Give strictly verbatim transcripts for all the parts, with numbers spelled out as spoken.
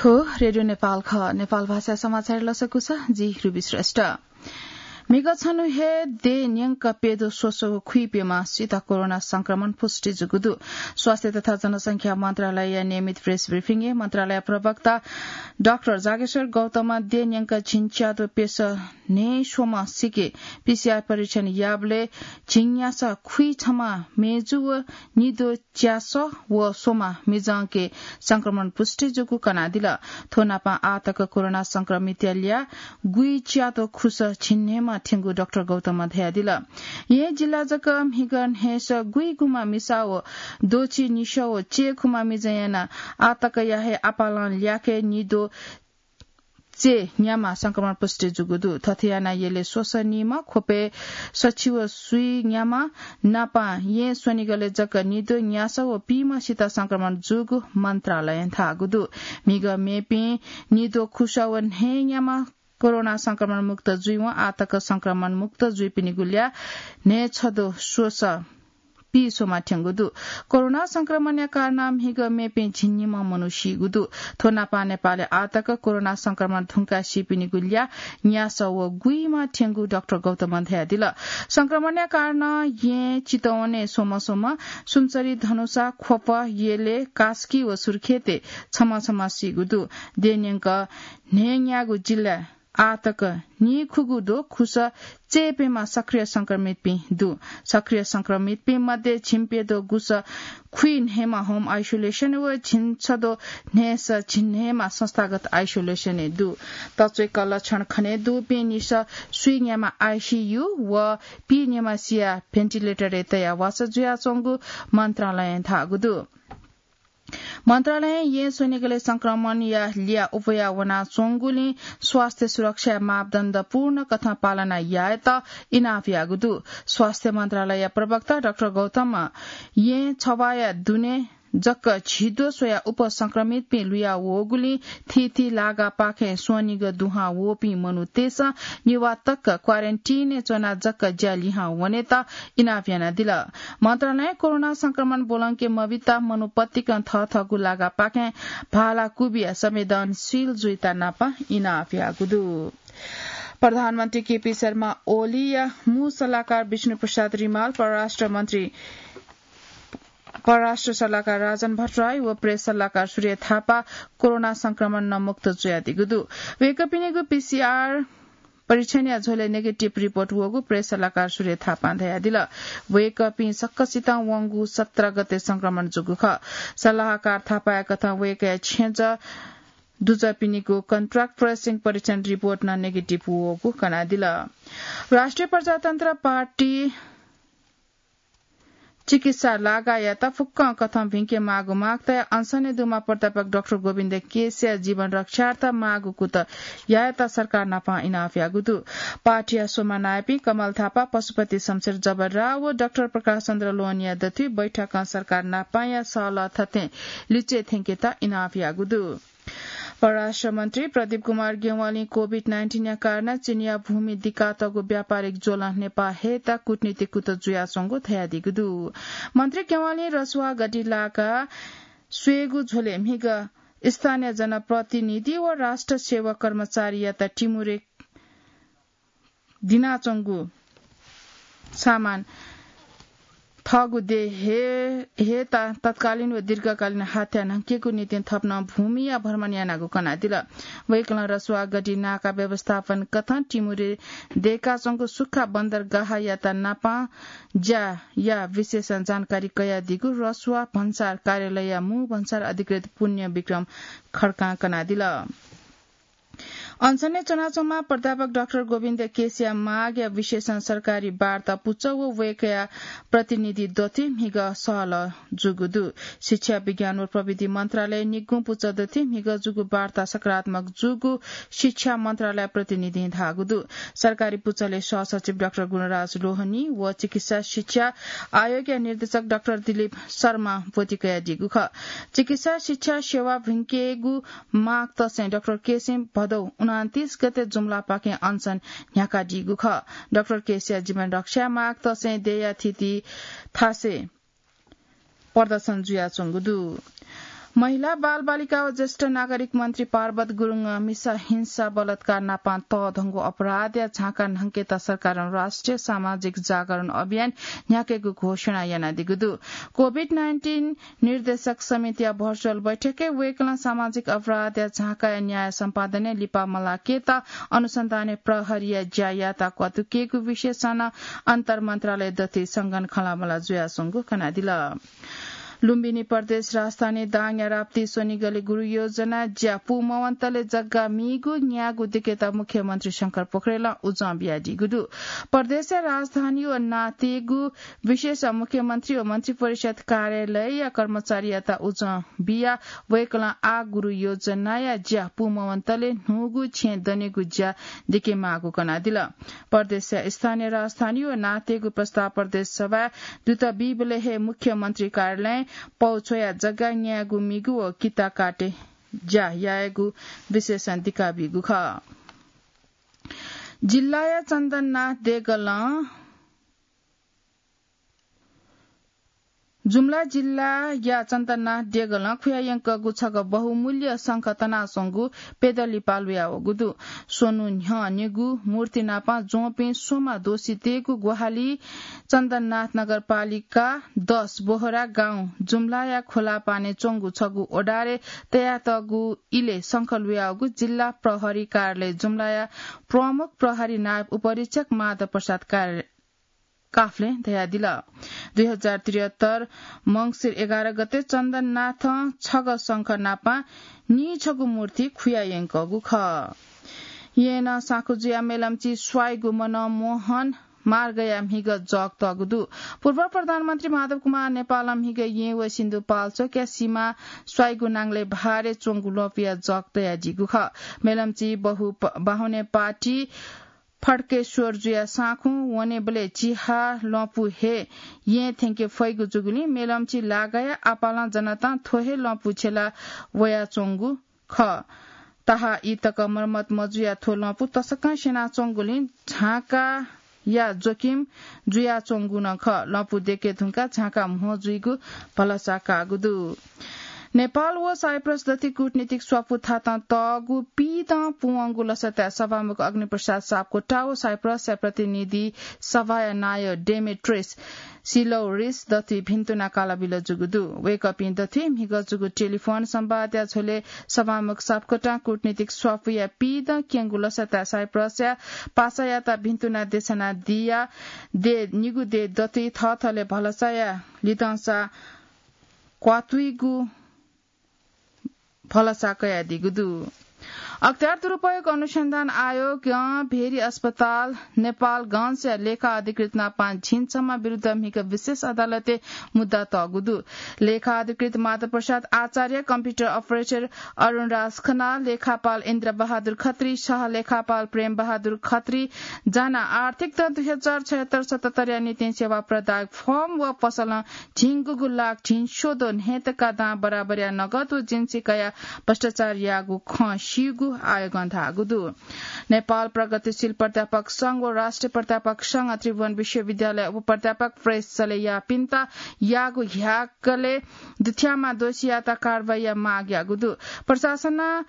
थ्व रेडियो नेपाल खः। नेपाल भाषा समाचार लसकुस, जि रुबी श्रेष्ठ। म्हिगः छन्हु हे देय् न्यंक प्यदँ स्वसः व खुइप्यम्ह सित कोरोना संक्रमण पुष्टि जूगु दु। स्वास्थ्य तथा जनसंख्या मन्त्रालयया नियमित प्रेस ब्रिफिङय् मन्त्रालय प्रवक्ता डाक्टर जागेश्वर गौतमं देय् न्यंक झिंच्यादँ प्यसः न्हय् स्वम्ह सिके पीसीआर परीक्षण याःबलय् झिंन्यासः खुइछम्ह मेजु व निद्वः च्यासः व स्वम्ह मिजंके संक्रमण पुष्टि जूगु कनादिल। थ्व नापं आः तक कोरोना संक्रमितया ल्याः गुइच्यादँ खुसः झिंन्हय्म्ह थ्यंगु डाक्टर गौतमं धयादिल। येँ जिल्ला जक म्हिगः न्हय्सः गुइगुम्ह मिसा व द्वःछि निसः व चय्खुम्ह मिजंया नं आः तकया हे आपालं ल्याखय् निद्वः चय्न्याम्ह संक्रमण पुष्टि जूगु दु। थथे यानाः यलय् स्वसः नीम्ह, ख्वपय् सछि व स्वीन्याम्ह नापं येँ स्वनिगलय् जक निद्वः न्यासः व पीम्ह सित संक्रमण जूगु मन्त्रालयं धाःगु दु। म्हिगः मेपिं निद्वः खुसः व न्हय्न्याम्ह कोरोना संक्रमण मुक्त जुइवं आः तक संक्रमण मुक्त जुइपिनिगु ल्याः न्हय्छद्वः स्वसः पीः स्वम्ह थ्यंगु दु। कोरोना संक्रमणया कारणं म्हिगः मेपिं झिंनिम्ह मनू सीगु दु। थ्व नापं नेपालय् आः तक कोरोना संक्रमण धुंकाः सीपिनिगु ल्याः न्यासः व गुइम्ह थ्यंगु डाक्टर गौतमं धयादिल। संक्रमणया कारणं येँ चितवनय् स्वम्ह स्वम्ह, सुनसरी, धनुषा, ख्वप, यलय्, कास्की व सुर्खेतय् छम्ह छम्ह सीगु दु। देय् न्यंक न्हय्न्यागू जिल्लाय् आः तक नीखुगू द्वः खुसः चय्प्यम्ह सक्रिय संक्रमितपिं दु। सक्रिय संक्रमितपिं मध्ये झिंप्यदँ गुसः खुइन्हय्म्ह होम आइसोलेसन व झिंछद्वः न्हय्सः झिंन्हय्म्ह संस्थागत आइसोलेसनय् दु। तच्वय्क लक्षण खनेदुपिं निसः स्वीन्याम्ह आइसीयू व पीन्याम्ह सियाः भेन्टिलेटरय् तयाः वासः जुयाच्वंगु मन्त्रालयं धाःगु दु। मन्त्रालयं येँ स्वनिगलय् संक्रमणया ल्याः उबया वनाच्वंगुलिं स्वास्थ्य सुरक्षाया मापदण्ड पूर्ण कथं पालना यायेत इनाप याःगु दु। स्वास्थ्य मन्त्रालयया प्रवक्ता डाक्टर गौतमं येँ छवाया दुने जक झिद्वः स्वयाः उपसंक्रमितपिं लुया वःगुलिं थीथी लागापाखें स्वनिगः दुहां वःपिं मनूतय्सं निवाः तक क्वारेन्टिनय् च्वनाः जक ज्या लिहां वनेत इनाप यानादिल। मन्त्रालयं कोरोना संक्रमण ब्वलंके मबित मनू पतिकं थःथःगु लागापाखें भाला कुबिया संवेदनशील जुइत नाप इनाप याःगु दु। प्रधानमन्त्री केपी शर्मा ओलीया मू सल्लाहकार विष्णु प्रसाद रिमाल, परराष्ट्र मन्त्री परराष्ट्र सल्लाहकार राजन भट्टराई व प्रेस सल्लाहकार सूर्य थापा कोरोना संक्रमणं मुक्त जुयादीगु दु। वय्कःपिनिगु पीसीआर परीक्षणया झ्वलय् नेगेटिभ रिपोर्ट वःगु प्रेस सल्लाहकार सूर्य थापां धयादिल। वय्कःपिं सकसितं वंगु सत्र गते संक्रमण जूगु खः। सल्लाहकार थापाया कथं वय्कःया छेँजः दुजःपिनिगु कन्ट्याक्ट ट्रेसिङ परीक्षण रिपोर्ट नं नेगेटिभ वःगु कनादिल। राष्ट्रिय प्रजातन्त्र पार्टी चिकित्सा लागायात फुक्कं कथं भिंके माःगु माग तयाः अनसनय् दुम्ह प्राध्यापक डाक्टर गोविन्द केसीया जीवन रक्षार्थ माःगु कुतः यायेत सरकार नाप इनाप याःगु दु। पार्टीया स्वम्ह नायःपिं कमल थापा, पशुपति शमशेर जबरा व डाक्टर प्रकाश चन्द्र लोहनीया दथुइ बैठकं सरकार नापया सहलह थथें लिच्वय् थ्यंकेत इनाप याःगु दु। परराष्ट्र मन्त्री प्रदीप कुमार ग्यंवालीं कोभिड नाइन्टिनया कारणं चीनया भूमि दिकातःगु व्यापारिक ज्वलं नेपाः हयेत कूटनीतिक कुतः जुयाच्वंगु धयादीगु दु। मन्त्री ग्यंवालीं रसुवा गढी लाका स्वयेगु झ्वलय् म्हिगः स्थानीय जनप्रतिनिधि व राष्ट्र सेवक कर्मचारीयात टिमुरे दिनाच्वंगु सामान थःगु देय् हयेत तत्कालीन व दीर्घकालीन हात्या न्हंकेगु निंतिं थप नं भूमिया भ्रमण यानागु कनादिल। वय्कलं रसुवा गढी नाका व्यवस्थापन कथं टिमुरे दय्काच्वंगु सुख्खा बन्दरगाहयात नापं ज्याया विशेष जानकारी कयादीगु रसुवा भन्सार कार्यालयया मू भन्सार अधिकृत पुण्य विक्रम खड्कां कनादिल। अनसनय् च्वनाच्वंम्ह प्राध्यापक डाक्टर गोविन्द केसीया मागया विषयसं सरकारी वार्ता पुचः व वय्कःया प्रतिनिधि दथुइ म्हिगः सहलह जूगु दु। शिक्षा, विज्ञान व प्रविधि मन्त्रालयया निगूं पुचः दथुइ म्हिगः जूगु वार्ता सकारात्मक जूगु शिक्षा मन्त्रालय प्रतिनिधिं धाःगु दु। सरकारी पुचलय् सहसचिव डाक्टर गुणराज लोहनी व चिकित्सा शिक्षा आयोगया निर्देशक डाक्टर दिलीप शर्मां ब्वति कयादीगु खः। चिकित्सा शिक्षा सेवा भिंकेगु माग तसें डाक्टर केसीं भदौ उनन्तीस गते जुम्लापाखें अनसन न्ह्याकादीगु खः। डाक्टर केसीया जीवन रक्षाया माग तसें देय्या थीथी थासय् प्रदर्शन जुयाच्वंगु दु। महिला, बालबालिका व ज्येष्ठ नागरिक मन्त्री पार्वत गुरुङं मिसा हिंसा बलात्कार नापं तःधंगु अपराधया झाँका न्हंकेत सरकारं राष्ट्रिय सामाजिक जागरण अभियान न्ह्याकेगु घोषणा यानादीगु दु। कोभिड नाइन्टिन निर्देशक समितिया भर्चुअल बैठकय् वय्कलं सामाजिक अपराधया झाँकाया न्याय सम्पादनय् लिपा मलाकेत अनुसन्धानय् प्रहरीया ज्या यायेत क्वातुकेगु विषयसं नं अन्तर मन्त्रालय दथुइ संगन खँल्हाबल्हा जुयाच्वंगु कनादिल। लुम्बिनी प्रदेश राजधानी दाङया राप्ती स्वनिगलय् गुरुयोजना ज्या पूमवंतले जग्गा मीगु न्यागू दिकेत मुख्यमन्त्री शंकर पोखरेलं उजं बियादीगु दु। प्रदेशया राजधानी व नातेगु विशेष मुख्यमन्त्री व मन्त्रिपरिषद कार्यालयया कर्मचारीयात उजं बिया वय्कलं आः गुरुयोजनाया ज्या पूमवंतले न्हूगु छेँ दनेगु ज्या दिकेमाःगु कनादिल। प्रदेशया स्थानीय राजधानी व नातेगु प्रस्ताव प्रदेश सभाय् दुत बीबलय् हे मुख्यमन्त्री कार्यालयं पौ छ्वया जग्गा न्यायेगु मीगु व किता काटे ज्या यायेगु विशेषण दिकाबीगु खः। जिल्लाया चन्दननाथ देगलं जुम्ला जिल्लाया चन्दननाथ देगलं खुयायंकःगु छगः बहुमूल्य शंख तनाच्वंगु प्यदँ लिपा लुयावःगु दु। स्वन्हु न्ह्यः निगू मूर्ति नापं ज्वंपिं स्वम्ह दोषीतय्गु ग्वाहालि चन्दननाथ नगरपालिका दस बोहरा गाउँ जुम्लाया खोलापाने च्वंगु छगू ओडारय् तयातःगु इलय् शंख लुयावःगु जिल्ला प्रहरी कार्यालय जुम्लाया प्रमुख प्रहरी नायब उपरीक्षक माधव प्रसाद कार्य काफ्लें धयादिल। दुई हजार त्रिहत्तर मंसिर एघार गते चन्दननाथं छगः शंख नापं नीछगू मूर्ति खुयायंकःगु खः। येँनं साँखुजुया मेलम्ची स्वाइगु मनमोहन मार्गया म्हिगः जक तःगु दु। पूर्व प्रधानमन्त्री माधव कुमार नेपालं म्हिगः येँ व सिन्धुपाल्चोकया सीमा स्वाइगु नांगलय् भारे च्वंगु ल्वपुया जक तयादीगु खः। मेलम्ची बहु प-, बाहुने पार्टी फड्केश्वर जुया साँखुं वनेबलय् चिहा ल्वपु हे येँ थ्यंके फइगु जूगुलिं मेलम्ची लागाया आपालं जनतां थ्व हे ल्वपु छ्यला वयाच्वंगु खः। ताहा ई तक मर्मत मजुया थ्व ल्वपु तसकं स्यनाच्वंगुलिं झाँकाया जोखिम जुयाच्वंगु नं खः। ल्वपु देके धुंकाः झाँका म्हो जुइगु भलसा काःगु दु। नेपाल व साइप्रस दथुइ कूटनीतिक स्वापू थातं तःगु पीदँ पूवंगु लसताय् सभामुख अग्निप्रसाद सापकोटा व साइप्रसया प्रतिनिधि सभाया नायः डेमेट्रियस सिलौरिस दथुइ भिन्तुना कालाबिल जूगु दु। वय्कःपिं दथुइ म्हिगः जूगु टेलिफोन संवादया झ्वलय् सभामुख सापकोटां कूटनीतिक स्वापूया पीदँ क्यंगु लसताय् साइप्रसया पासायात भिन्तुना देछानादिया दे निगू दे दथुइ थःथलय् भलसाया लिधंसा क्वातुइगु भलसा कयादीगु दु। अख्तियार दुरुपयोग अनुसन्धान आयोगं भेरी अस्पताल नेपालगंजया लेखा अधिकृत नापं झिंछम्ह विरुद्ध म्हिगः विशेष अदालतय् मुद्दा तःगु दु। लेखा अधिकृत माधव प्रसाद आचार्य, कम्प्युटर अपरेटर अरुण राज खनाल, लेखापाल इन्द्र बहादुर खत्री, सह लेखापाल प्रेम बहादुर खत्री जानाः आर्थिक दँ दुई हजार छयत्तर सतहत्तरया निंतिं सेवा प्रदायक फर्म व पसलं झिंगुगु लाख झिंस्वदँ न्हय्तका दां बराबरया नगद व जिन्सी कयाः भ्रष्टाचार याःगु खँ स्यूगु आयोगं धाःगु दु। नेपाल प्रगतिशील प्राध्यापक संघ व राष्ट्रिय प्राध्यापक संघ त्रिभुवन विश्वविद्यालय उपप्राध्यापक प्रेस चले याःपिन्त याःगु ह्याकलय् दुथ्याःम्ह दोषीयात कारवाहीया माग याःगु दु। प्रशासनं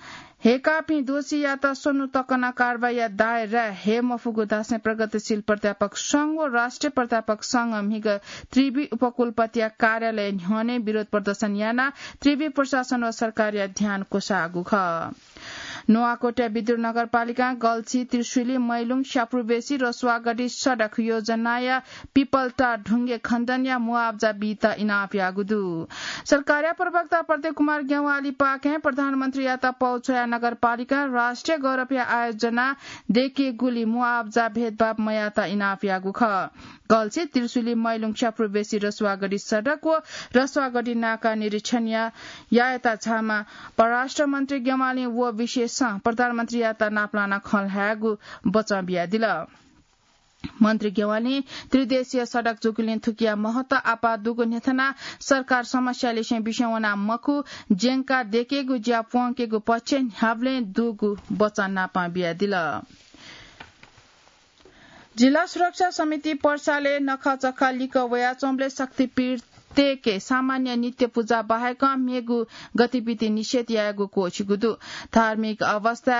हय्काःपिं दोषीयात स्वन्हु तकं कारवाहीया दायराय् हये मफुगु धासें प्रगतिशील प्राध्यापक संघ व राष्ट्रिय प्राध्यापक संघं म्हिगः त्रिवि उपकुलपतिया कार्यालय न्ह्यःने विरोध प्रदर्शन यानाः त्रिवि प्रशासन व सरकारया ध्यान क्वसाःगु खः। नुवाकोटया विद्युत नगरपालिकां गल्छी, त्रिशुली, मैलुङ, स्यापुरबेसी, रसुवागढी सडक योजनाया पिपलटार ढुङ्गे खण्डनया मुआब्जा बीत इनाप याःगु दु। सरकारया प्रवक्ता प्रदीप कुमार ज्ञवालीपाखें प्रधानमन्त्रीयात पौ छ्वयाः नगरपालिकां राष्ट्रिय गौरवया आयोजना दय्केगुलिं मुआब्जा भेदभाव मयायेत इनाप याःगु खः। गल्छी, त्रिशुली, मैलुङ, स्यापुरबेसी, रसुवागढी सडक व रसुवागढी नाका निरीक्षण या-, यायेत झाःम्ह परराष्ट्र मन्त्री ज्ञवालीं व विषयसं प्रधानमन्त्रीयात नापलानाः खँ ल्हायेगु बचं बियादिल। मन्त्री ज्ञवालीं त्रिदेशीय सडक जूगुलिं थुकिया महत्व आपाः दुगु न्ह्यथनाः सरकार समस्या लिसें बिस्युं वना मखु, ज्यंका दय्केगु ज्या प्वंकेगु पक्ष न्ह्याबलें दुगु बचं नापं बियादिल। जिल्ला सुरक्षा समिति पर्साले नखःचखः लिक्क वयाच्वंबलय् शक्तिपीठ तेके सामान्य नित्य पूजा बाहेक मेगु गतिविधि निषेध यायेगु क्वःछिगु दु। धार्मिक अवस्था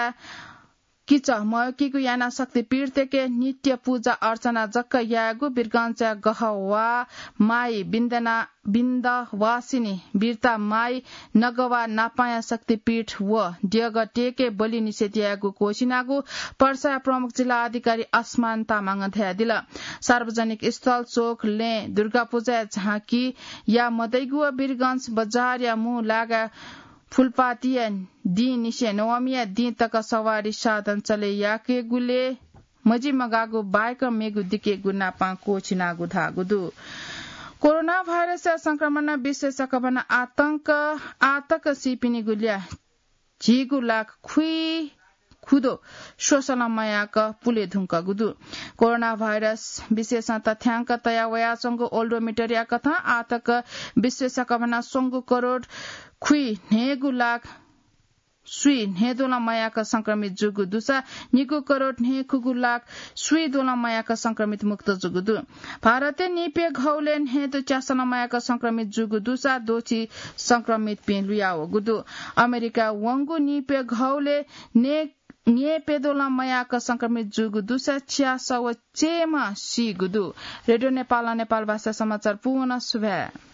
किच मयकीगु याना शक्तिपीठतेके नित्य पूजा अर्चना जक्क यायेगु वीरगञ्जया गहवा माई बिन्दना बिन्दवासिनी बिर्ता माई नगवा नापाया शक्तिपीठ व द्यगटेके बलि निषेध यायेगु क्वःछिनागु पर्सा प्रमुख जिल्ला अधिकारी आसमान तामाङं धयादिल। सार्वजनिक स्थल, चोक, लँय् दुर्गा पूजाया झाँकी या मदइगु व वीरगञ्ज बजारया मू लागा फुलपातिया दिं निसें नवमीया दिं तक सवारी साधन चले याकेगुले मजिमगाःगु बाहेक मेगु दिकेगु नापां क्वःछिनागु धाःगु दु। कोरोना भाइरसया संक्रमणं विश्व सकभनं आतंक आतक सीपिनिगु ल्याः झिगू लाख खुइ खुदो स्वसलं मयाक पुले धुंकगु दु। कोरोना भाइरस विशेषं तथ्याङ्क तया वयाच्वंगु ओल्डोमिटरया कथं आतक विश्व सकभनं स्वंगू करोड खुइ न्हय्गू लाख स्वी न्हय्दोलं मयाक संक्रमित जूगु दुसा निगू करोड न्हय्खुगू लाख स्वीदोलं मयाक संक्रमित मुक्त जूगु दु। भारतय् नीप्यघौले न्हय्दो च्यासलं मयाक संक्रमित जूगु दुसा द्वःछि संक्रमितपिं लुयावःगु दु। अमेरिका वंगु नीप्यघौले ने न्येप्यदोलं मयाक संक्रमित जूगु दुसा च्यासः व चय्म्ह सीगु दु। रेडियो नेपालं नेपाल भाषा समाचार पूवं सुभाय्।